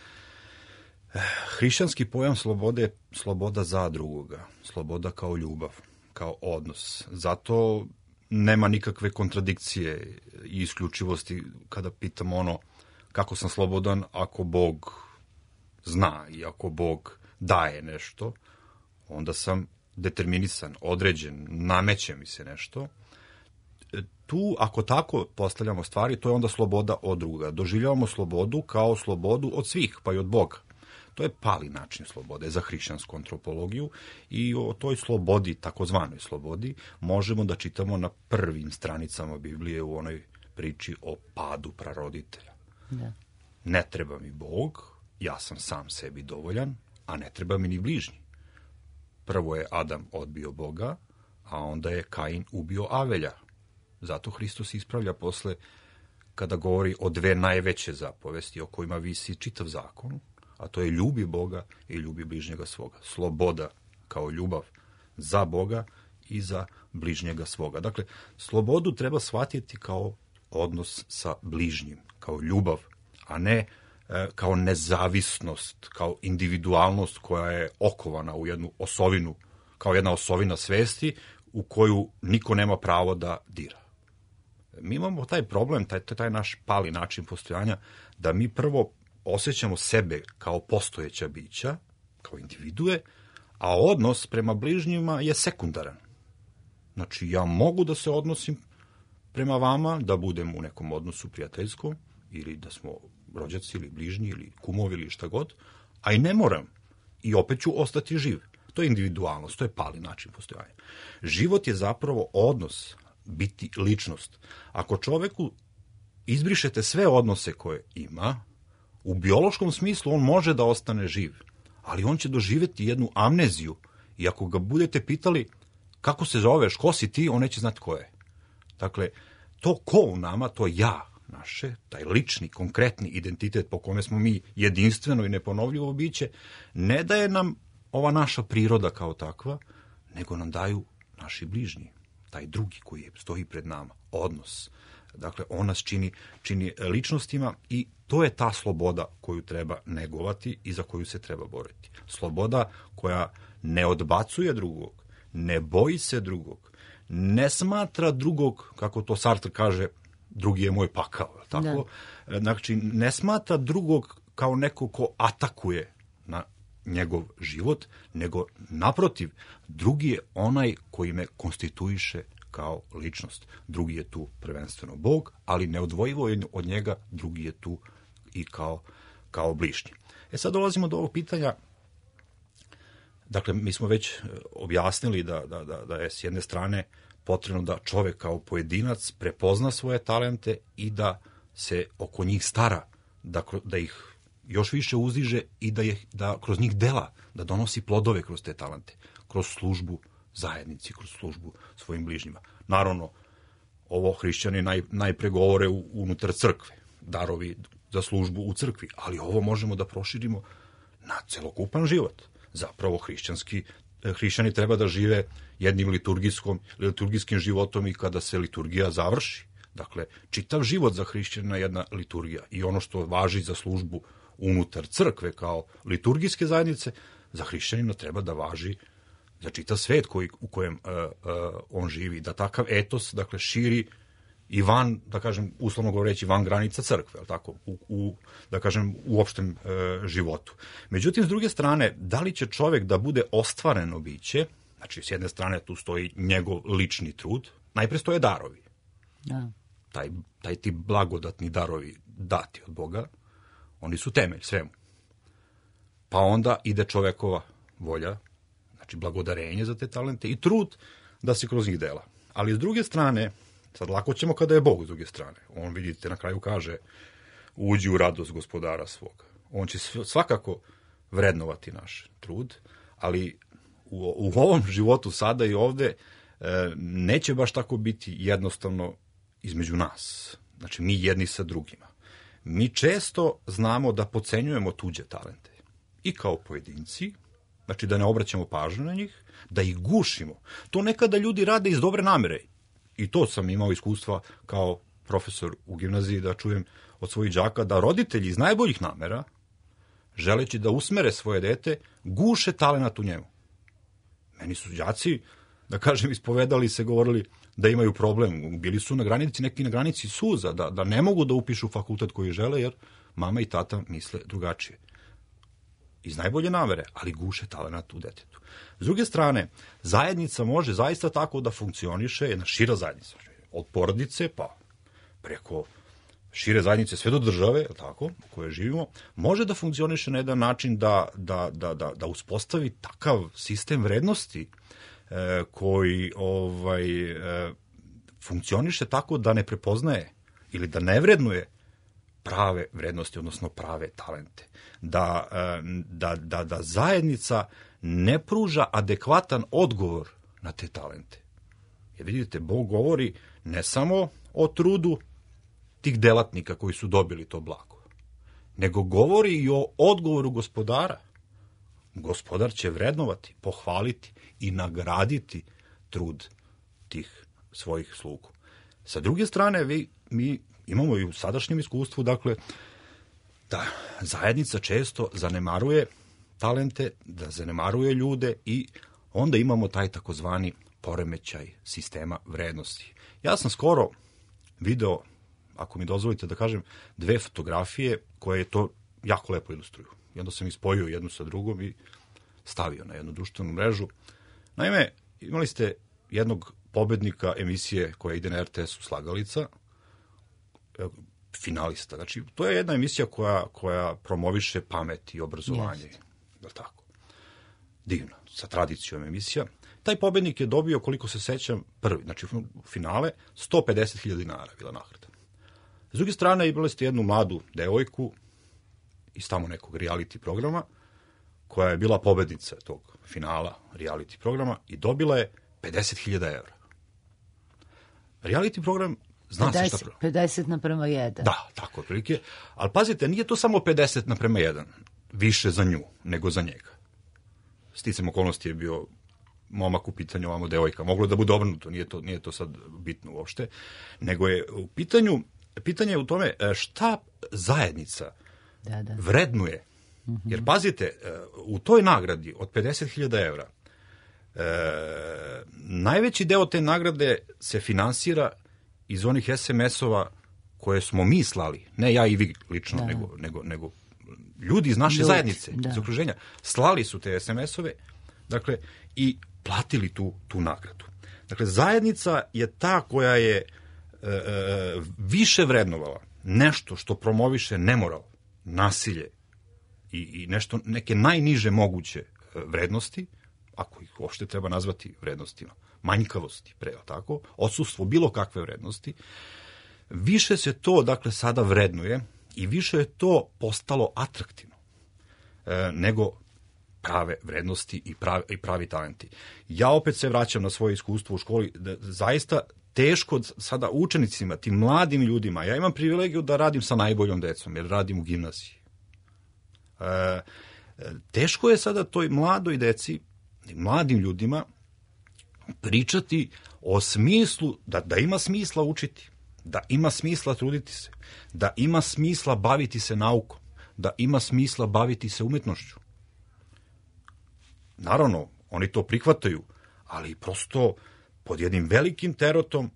Hrišćanski pojam slobode je sloboda za drugoga, sloboda kao ljubav, kao odnos. Zato nema nikakve kontradikcije i isključivosti kada pitam ono kako sam slobodan ako Bog zna i ako Bog daje nešto, onda sam determinisan, određen, nameće mi se nešto. Tu, ako tako postavljamo stvari, to je onda sloboda od druga. Doživljavamo slobodu kao slobodu od svih, pa i od Boga. To je pali način slobode za hrišćansku antropologiju i o toj slobodi, takozvanoj slobodi, možemo da čitamo na prvim stranicama Biblije u onoj priči o padu praroditelja. Da. Ne treba mi Bog, ja sam sam sebi dovoljan, a ne treba mi ni bližnji. Prvo je Adam odbio Boga, a onda je Kain ubio Avelja. Zato Hristos ispravlja posle kada govori o dve najveće zapovesti o kojima visi čitav zakon, a to je ljubi Boga i ljubi bližnjega svoga. Sloboda kao ljubav za Boga i za bližnjega svoga. Dakle, slobodu treba shvatiti kao odnos sa bližnjim, kao ljubav, a ne e, kao nezavisnost, kao individualnost koja je okovana u jednu osovinu, kao jedna osovina svesti u koju niko nema pravo da dira. Mi imamo taj problem, taj, taj naš pali način postojanja, da mi prvo osjećamo sebe kao postojeća bića, kao individue, a odnos prema bližnjima je sekundaran. Znači, ja mogu da se odnosim prema vama, da budem u nekom odnosu prijateljskom, ili da smo rođaci, ili bližnji, ili kumovi, ili šta god, a i ne moram. I opet ću ostati živ. To je individualnost, to je pali način postojanja. Život je zapravo odnos, biti ličnost. Ako čoveku izbrišete sve odnose koje ima, u biološkom smislu on može da ostane živ, ali on će doživjeti jednu amneziju i ako ga budete pitali kako se zoveš, ko si ti, on neće znati ko je. Dakle, to ko u nama, to ja naše, taj lični, konkretni identitet po kome smo mi jedinstveno i neponovljivo biće, ne daje nam ova naša priroda kao takva, nego nam daju naši bližnji, taj drugi koji stoji pred nama, odnos. Dakle, on nas čini, čini ličnostima i to je ta sloboda koju treba negovati i za koju se treba boriti. Sloboda koja ne odbacuje drugog, ne boji se drugog, ne smatra drugog, kako to Sartre kaže, drugi je moj pakao. Tako? Da. Znači, ne smatra drugog kao neko ko atakuje na njegov život, nego naprotiv, drugi je onaj koji me konstituiše kao ličnost. Drugi je tu prvenstveno Bog, ali neodvojivo je od njega, drugi je tu i kao, kao bližnji. E sad dolazimo do ovog pitanja. Dakle, mi smo već objasnili da, da, da, da je s jedne strane potrebno da čovek kao pojedinac prepozna svoje talente i da se oko njih stara, da, da ih još više uzdiže i da, je, da kroz njih dela, da donosi plodove kroz te talente, kroz službu zajednici, kroz službu svojim bližnjima. Naravno, ovo hrišćani naj, najpre govore u, unutar crkve, darovi za službu u crkvi, ali ovo možemo da proširimo na celokupan život. Zapravo hrišćanski, hrišćani treba da žive jednim liturgijskom, liturgijskim životom i kada se liturgija završi. Dakle, čitav život za hrišćana je jedna liturgija i ono što važi za službu unutar crkve kao liturgijske zajednice, za hrišćanina treba da važi za čitav svet koji, u kojem uh, uh, on živi, da takav etos, dakle, širi i van, da kažem, uslovno govoreći, van granica crkve, ali tako, u, u, da kažem, u opštem uh, životu. Međutim, s druge strane, da li će čovek da bude ostvareno biće, znači, s jedne strane tu stoji njegov lični trud, najpre stoje darovi. Da. taj, taj ti blagodatni darovi dati od Boga, oni su temelj svemu. Pa onda ide čovekova volja, znači blagodarenje za te talente i trud da se kroz njih dela. Ali s druge strane, sad lako ćemo kada je Bog s druge strane. On, vidite, na kraju kaže, uđi u radost gospodara svoga. On će svakako vrednovati naš trud, ali u, u ovom životu sada i ovde e, neće baš tako biti jednostavno između nas. Znači, mi jedni sa drugima. Mi često znamo da podcenjujemo tuđe talente. I kao pojedinci, znači da ne obraćamo pažnju na njih, da ih gušimo. To nekada ljudi rade iz dobre namere. I to sam imao iskustva kao profesor u gimnaziji da čujem od svojih đaka da roditelji iz najboljih namera, želeći da usmere svoje dete, guše talenat u njemu. Meni su đaci, da kažem, ispovedali se, govorili da imaju problem. Bili su na granici, neki na granici suza, da, da ne mogu da upišu fakultet koji žele, jer mama i tata misle drugačije. Iz najbolje namere, ali guše talenat u detetu. S druge strane, zajednica može zaista tako da funkcioniše, jedna šira zajednica, od porodice pa preko šire zajednice sve do države, tako, u kojoj živimo, može da funkcioniše na jedan način da, da, da, da, da uspostavi takav sistem vrednosti e, koji ovaj, e, funkcioniše tako da ne prepoznaje ili da ne vrednuje prave vrednosti, odnosno prave talente. Da, da, da, da zajednica ne pruža adekvatan odgovor na te talente. Jer vidite, Bog govori ne samo o trudu tih delatnika koji su dobili to blago, nego govori i o odgovoru gospodara. Gospodar će vrednovati, pohvaliti i nagraditi trud tih svojih slugu. Sa druge strane, vi, mi imamo i u sadašnjem iskustvu, dakle, da zajednica često zanemaruje talente, da zanemaruje ljude i onda imamo taj takozvani poremećaj sistema vrednosti. Ja sam skoro video, ako mi dozvolite da kažem, dve fotografije koje to jako lepo ilustruju. I onda sam ispojio jednu sa drugom i stavio na jednu društvenu mrežu. Naime, imali ste jednog pobednika emisije koja ide na er te esu Slagalica, finalista. Znači, to je jedna emisija koja, koja promoviše pamet i obrazovanje. Yes. Da tako? Divno, sa tradicijom emisija. Taj pobednik je dobio, koliko se sećam, prvi, znači u finale, sto pedeset hiljada dinara bila nagrada. S druge strane, imali ste jednu mladu devojku iz tamo nekog reality programa, koja je bila pobednica tog finala reality programa i dobila je pedeset hiljada evra. Reality program zna se šta prvo. pedeset naprema jedan. Da, tako otprilike. Ali pazite, nije to samo pedeset naprema jedan, više za nju nego za njega. Sticam okolnosti je bio momak u pitanju, ovamo devojka. Moglo da bude obrnuto, nije to, nije to sad bitno uopšte. Nego je u pitanju, pitanje je u tome šta zajednica da, da. vrednuje. Jer pazite, u toj nagradi od pedeset hiljada evra e, najveći deo te nagrade se finansira iz onih es em es-ova koje smo mi slali, ne ja i vi lično, da. nego, nego, nego ljudi iz naše ljudi, zajednice, da. iz okruženja, slali su te es em es-ove, dakle, i platili tu, tu nagradu. Dakle, zajednica je ta koja je e, e, više vrednovala nešto što promoviše nemoral, nasilje i, i nešto, neke najniže moguće vrednosti, ako ih uopšte treba nazvati vrednostima, manjkavosti, pre, tako, odsustvo bilo kakve vrednosti, više se to, dakle, sada vrednuje i više je to postalo atraktivno e, nego prave vrednosti i pravi, i pravi talenti. Ja opet se vraćam na svoje iskustvo u školi, da zaista teško sada učenicima, tim mladim ljudima, ja imam privilegiju da radim sa najboljom decom, jer radim u gimnaziji. E, teško je sada toj mladoj deci, mladim ljudima, pričati o smislu, da, da ima smisla učiti, da ima smisla truditi se, da ima smisla baviti se naukom, da ima smisla baviti se umetnošću. Naravno, oni to prihvataju, ali prosto pod jednim velikim terotom,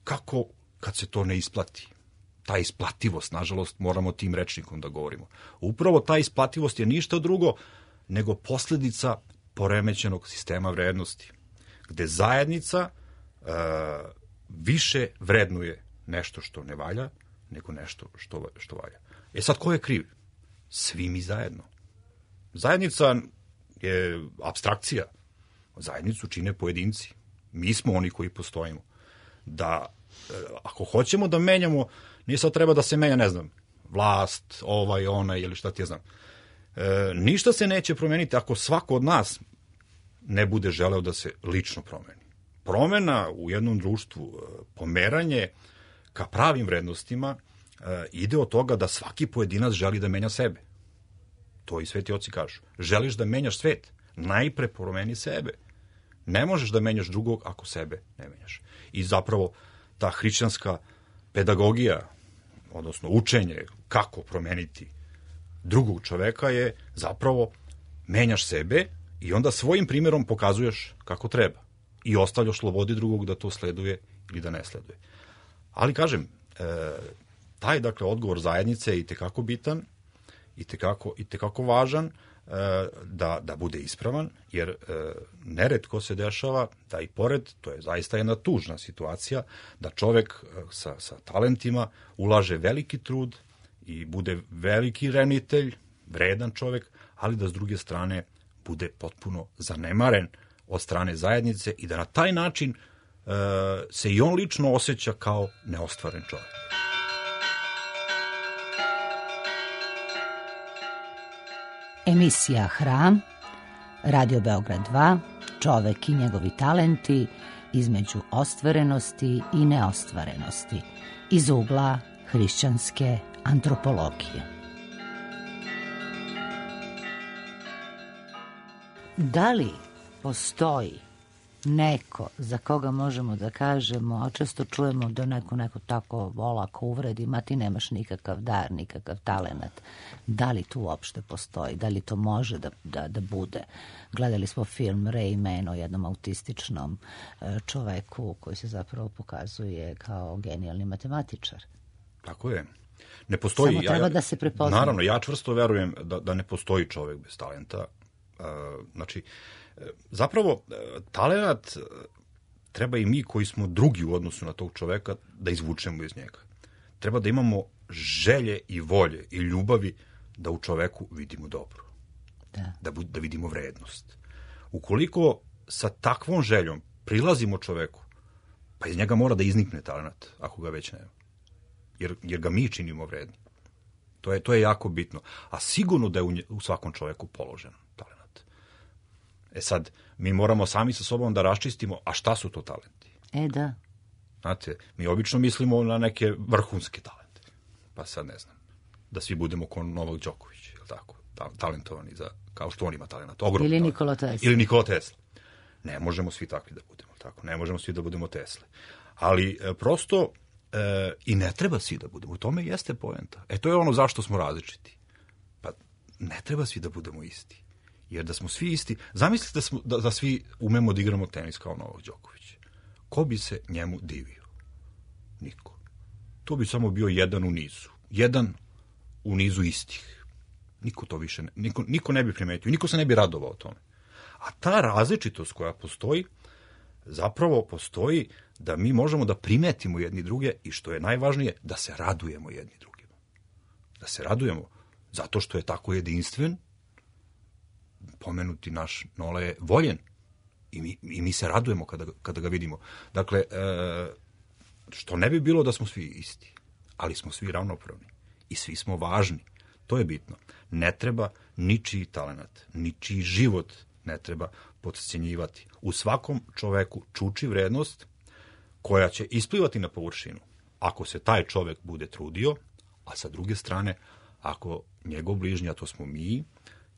kako kad se to ne isplati. Ta isplativost, nažalost, moramo tim rečnikom da govorimo. Upravo ta isplativost je ništa drugo nego posljedica poremećenog sistema vrednosti, gde zajednica uh, više vrednuje nešto što ne valja, nego nešto što, što valja. E sad, ko je kriv? Svi mi zajedno. Zajednica je apstrakcija. Zajednicu čine pojedinci. Mi smo oni koji postojimo. Da, ako hoćemo da menjamo, nije sad treba da se menja, ne znam, vlast, ovaj, onaj, ili šta ti ja znam. E, ništa se neće promeniti ako svako od nas ne bude želeo da se lično promeni. Promena u jednom društvu, pomeranje ka pravim vrednostima, e, ide od toga da svaki pojedinac želi da menja sebe. To i sveti oci kažu. Želiš da menjaš svet, najpre promeni sebe. Ne možeš da menjaš drugog ako sebe ne menjaš. I zapravo ta hrišćanska pedagogija, odnosno učenje kako promeniti drugog čoveka je zapravo menjaš sebe i onda svojim primjerom pokazuješ kako treba. I ostavljaš slobodi drugog da to sleduje ili da ne sleduje. Ali kažem, e, taj dakle odgovor zajednice je itekako bitan, itekako, itekako važan, e, da, da bude ispravan, jer e, neretko se dešava da i pored, to je zaista jedna tužna situacija, da čovek sa, sa talentima ulaže veliki trud i bude veliki renitelj, vredan čovek, ali da s druge strane bude potpuno zanemaren od strane zajednice i da na taj način e, se i on lično osjeća kao neostvaren čovek. Emisija Hram, Radio Beograd dva, čovek i njegovi talenti između ostvarenosti i neostvarenosti, iz ugla hrišćanske antropologije. Da li postoji neko za koga možemo da kažemo, a često čujemo da neko neko tako olako uvredi, ma ti nemaš nikakav dar, nikakav talenat. Da li tu uopšte postoji? Da li to može da, da, da bude? Gledali smo film Ray Man o jednom autističnom čoveku koji se zapravo pokazuje kao genijalni matematičar. Tako je. Ne postoji, Samo treba ja, da se prepozna. Naravno, ja čvrsto verujem da, da ne postoji čovek bez talenta. Uh, znači, zapravo, talenat treba i mi koji smo drugi u odnosu na tog čoveka da izvučemo iz njega. Treba da imamo želje i volje i ljubavi da u čoveku vidimo dobro. Da. Da, da vidimo vrednost. Ukoliko sa takvom željom prilazimo čoveku, pa iz njega mora da iznikne talenat, ako ga već nema. Jer, jer ga mi činimo vredni. To je, to je jako bitno. A sigurno da je u, nje, u svakom čoveku položen talenat. E sad, mi moramo sami sa sobom da raščistimo, a šta su to talenti? E, da. Znate, mi obično mislimo na neke vrhunske talente. Pa sad ne znam, da svi budemo ko Novak Đoković, je li tako? Talentovani, za, kao što on ima talent. Ogromno Ili talent. Nikola Tesla. Ili Nikola Tesla. Ne možemo svi takvi da budemo, tako? Ne možemo svi da budemo Tesle. Ali e, prosto e, i ne treba svi da budemo. U tome jeste poenta. E, to je ono zašto smo različiti. Pa ne treba svi da budemo isti. Jer da smo svi isti, zamislite da, smo, da, da svi umemo da igramo tenis kao Novak Đoković. Ko bi se njemu divio? Niko. To bi samo bio jedan u nizu. Jedan u nizu istih. Niko to više ne, niko, niko ne bi primetio, niko se ne bi radovao tome. A ta različitost koja postoji, zapravo postoji da mi možemo da primetimo jedni druge i što je najvažnije, da se radujemo jedni drugima. Da se radujemo zato što je tako jedinstven, pomenuti naš Nole je voljen i mi, i mi se radujemo kada, kada ga vidimo. Dakle, e, što ne bi bilo da smo svi isti, ali smo svi ravnopravni i svi smo važni. To je bitno. Ne treba ničiji talenat, ničiji život ne treba potcenjivati. U svakom čoveku čuči vrednost koja će isplivati na površinu ako se taj čovek bude trudio, a sa druge strane, ako njegov bližnji, a to smo mi,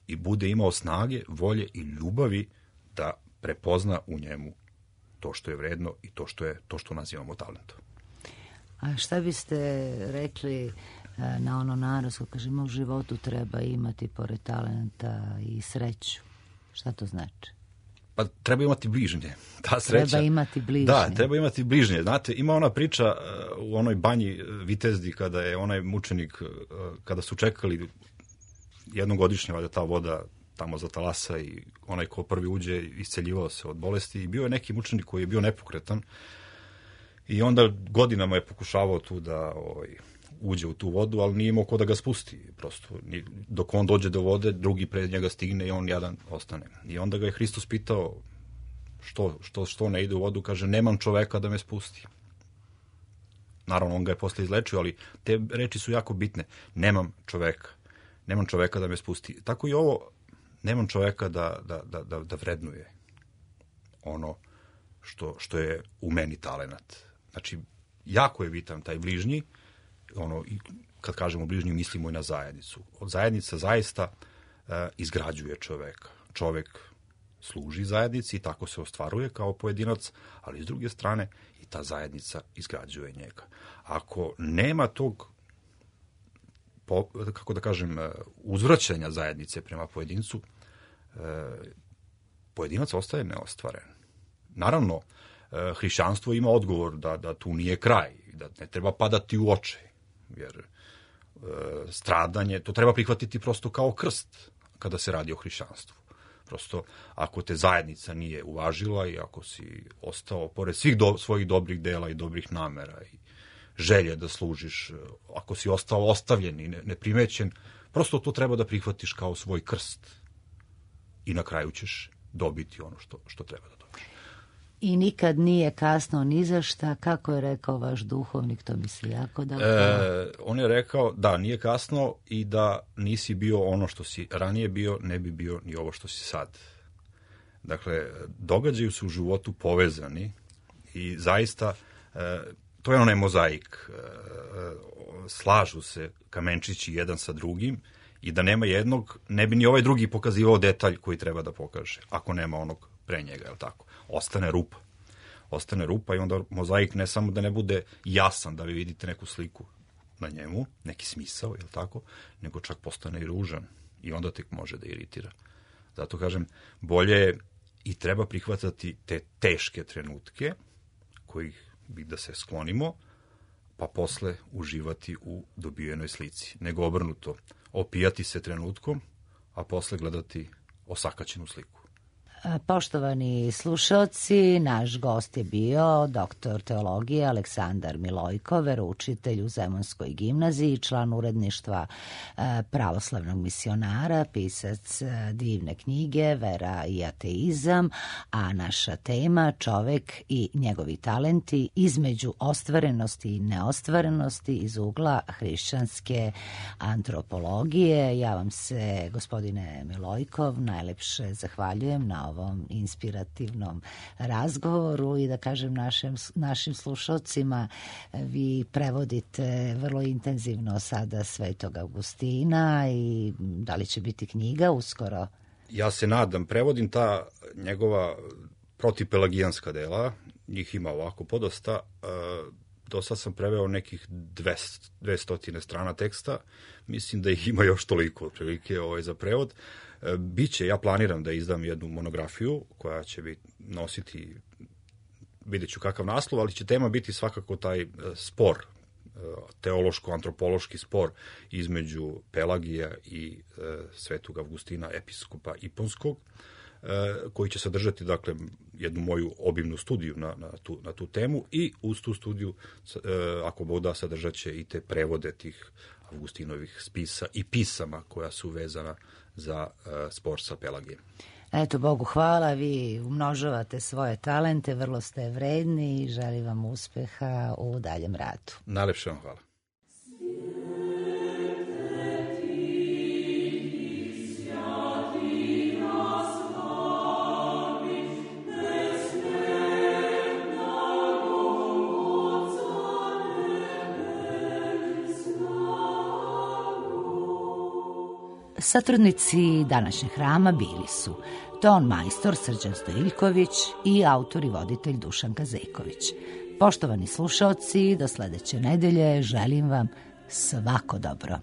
i bude imao snage, volje i ljubavi da prepozna u njemu to što je vredno i to što je to što nazivamo talentom. A šta biste rekli na ono narodsko, kažemo, u životu treba imati pored talenta i sreću? Šta to znači? Pa treba imati bližnje. Ta sreća, treba imati bližnje. Da, treba imati bližnje. Znate, ima ona priča u onoj banji Vitezdi kada je onaj mučenik, kada su čekali jednogodišnje, valjda ta voda tamo za talasa i onaj ko prvi uđe isceljivao se od bolesti i bio je neki mučenik koji je bio nepokretan I onda godinama je pokušavao tu da ovaj, uđe u tu vodu, ali nije imao ko da ga spusti. Prosto, dok on dođe do vode, drugi pred njega stigne i on jadan ostane. I onda ga je Hristos pitao što, što, što ne ide u vodu, kaže, nemam čoveka da me spusti. Naravno, on ga je posle izlečio, ali te reči su jako bitne. Nemam čoveka. Nemam čoveka da me spusti. Tako i ovo, nemam čoveka da, da, da, da, da vrednuje ono što, što je u meni talenat. Znači, jako je bitan taj bližnji, ono, i kad kažemo bližnji, mislimo i na zajednicu. Od zajednica zaista e, izgrađuje čoveka. Čovek služi zajednici i tako se ostvaruje kao pojedinac, ali s druge strane i ta zajednica izgrađuje njega. Ako nema tog, po, kako da kažem, uzvraćanja zajednice prema pojedincu, e, pojedinac ostaje neostvaren. Naravno, e, hrišćanstvo ima odgovor da, da tu nije kraj, da ne treba padati u očaj, jer e, stradanje, to treba prihvatiti prosto kao krst kada se radi o hrišćanstvu. Prosto, ako te zajednica nije uvažila i ako si ostao, pored svih do, svojih dobrih dela i dobrih namera i želje da služiš, ako si ostao ostavljen i ne, neprimećen, prosto to treba da prihvatiš kao svoj krst. I na kraju ćeš dobiti ono što, što treba da dobiješ. I nikad nije kasno ni za šta, kako je rekao vaš duhovnik, to misli jako da... E, on je rekao da nije kasno i da nisi bio ono što si ranije bio, ne bi bio ni ovo što si sad. Dakle, događaju su u životu povezani i zaista e, to je onaj mozaik. E, slažu se kamenčići jedan sa drugim i da nema jednog, ne bi ni ovaj drugi pokazivao detalj koji treba da pokaže, ako nema onog pre njega, je li tako? Ostane rupa. Ostane rupa i onda mozaik ne samo da ne bude jasan, da vi vidite neku sliku na njemu, neki smisao, je li tako, nego čak postane i ružan i onda tek može da iritira. Zato kažem, bolje je i treba prihvatati te teške trenutke, kojih bi da se sklonimo, pa posle uživati u dobijenoj slici. Nego obrnuto, opijati se trenutkom, a posle gledati osakaćenu sliku. Poštovani slušaoci, naš gost je bio doktor teologije Aleksandar Milojko, veroučitelj u Zemunskoj gimnaziji, član uredništva Pravoslavnog misionara, pisac divne knjige Vera i ateizam, a naša tema čovek i njegovi talenti između ostvarenosti i neostvarenosti iz ugla hrišćanske antropologije. Ja vam se, gospodine Milojkov, najlepše zahvaljujem na ovom inspirativnom razgovoru i da kažem našim, našim slušalcima, vi prevodite vrlo intenzivno sada Svetog Augustina i da li će biti knjiga uskoro? Ja se nadam, prevodim ta njegova protipelagijanska dela, njih ima ovako podosta, do sad sam preveo nekih dvesta strana teksta, mislim da ih ima još toliko otprilike ovaj, za prevod. Biće, ja planiram da izdam jednu monografiju koja će biti nositi, vidjet ću kakav naslov, ali će tema biti svakako taj spor, teološko-antropološki spor između Pelagija i Svetog Avgustina, episkopa Iponskog, koji će sadržati, dakle, jednu moju obimnu studiju na, na, tu, na tu temu i uz tu studiju, ako Bog da, sadržat će i te prevode tih Avgustinovih spisa i pisama koja su vezana za uh, spor sa Pelagijem. Eto, Bogu hvala, vi umnožavate svoje talente, vrlo ste vredni i želim vam uspeha u daljem radu. Najlepše vam hvala. Satrudnici današnjeg hrama bili su ton majstor Srđan Stojiljković i autor i voditelj Dušan Kazejković. Poštovani slušaoci, do sledeće nedelje želim vam svako dobro.